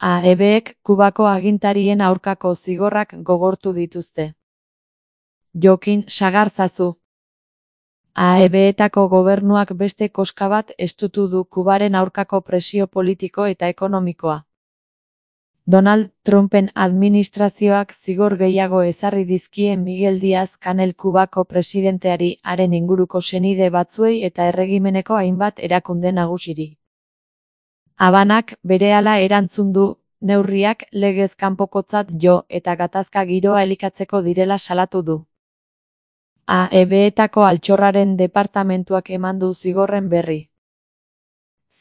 AEBek Kubako agintarien aurkako zigorrak gogortu dituzte. Jokin sagarzazu. AEBetako gobernuak beste koska bat estutu du Kubaren aurkako presio politiko eta ekonomikoa. Donald Trumpen administrazioak zigor gehiago ezarri dizkie Miguel Díaz-Canel Kubako presidenteari, haren inguruko senide batzuei eta erregimeneko hainbat erakunde nagusiri. Habanak berehala erantzun du, neurriak legez kanpokotzat jo eta gatazka giroa elikatzeko direla salatu du. AEBetako altxorraren departamentuak eman du zigorren berri.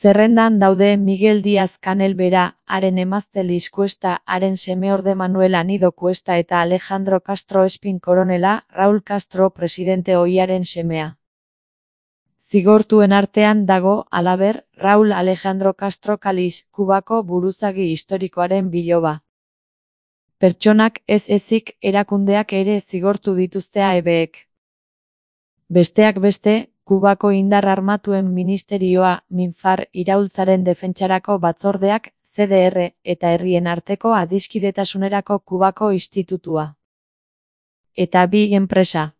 Zerrendan daude Miguel Díaz-Canel bera, haren emazte Liz Cuesta, haren semeorde Manuel Anido Cuesta eta Alejandro Castro Espin koronela, Raúl Castro presidente ohiaren semea. Zigortuen artean dago, halaber, Raúl Alejandro Castro Caliz, Kubako buruzagi historikoaren biloba. Pertsonak ez ezik erakundeak ere zigortu dituzte AEBek. Besteak beste, Kubako indar armatuen ministerioa, MINFAR, iraultzaren defentsarako batzordeak, CDR, eta herrien arteko adiskidetasunerako Kubako institutua. Eta bi enpresa.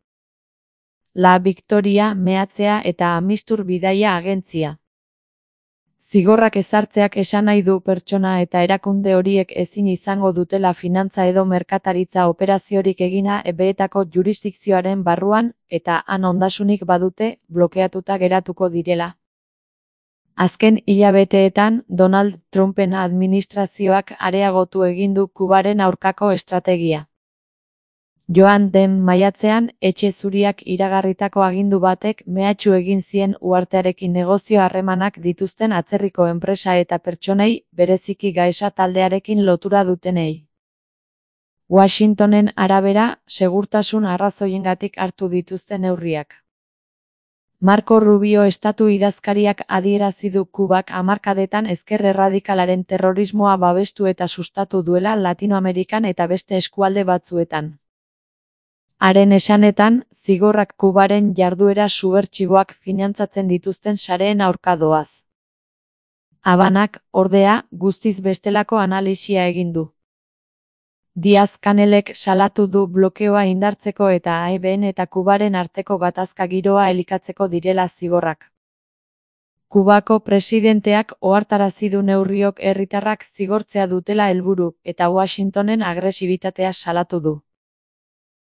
La Victoria meatzea eta Amistur bidaia agentzia. Zigorrak ezartzeak esan nahi du pertsona eta erakunde horiek ezin izango dutela finantza edo merkataritza operaziorik egina AEBetako jurisdikzioaren barruan, eta han ondasunik badute, blokeatuta geratuko direla. Azken hilabeteetan, Donald Trumpen administrazioak areagotu egin du Kubaren aurkako estrategia. Joan den maiatzean, Etxe Zuriak iragarritako agindu batek mehatxu egin zien uhartearekin negozio harremanak dituzten atzerriko enpresa eta pertsonei, bereziki Gaesa taldearekin lotura dutenei. Washingtonen arabera, segurtasun arrazoiengatik hartu dituzte neurriak. Marco Rubio estatu idazkariak adierazi du Kubak hamarkadetan ezker erradikalaren terrorismoa babestu eta sustatu duela Latinoamerikan eta beste eskualde batzuetan. Haren esanetan, zigorrak Kubaren jarduera subertsiboak finantzatzen dituzten sareen aurka doaz. Habanak, ordea, guztiz bestelako analisia egin du. Díaz-Canelek salatu du blokeoa indartzeko eta AEBen eta Kubaren arteko gatazka giroa elikatzeko direla zigorrak. Kubako presidenteak ohartarazi du neurriok herritarrak zigortzea dutela helburu, eta Washingtonen agresibitatea salatu du.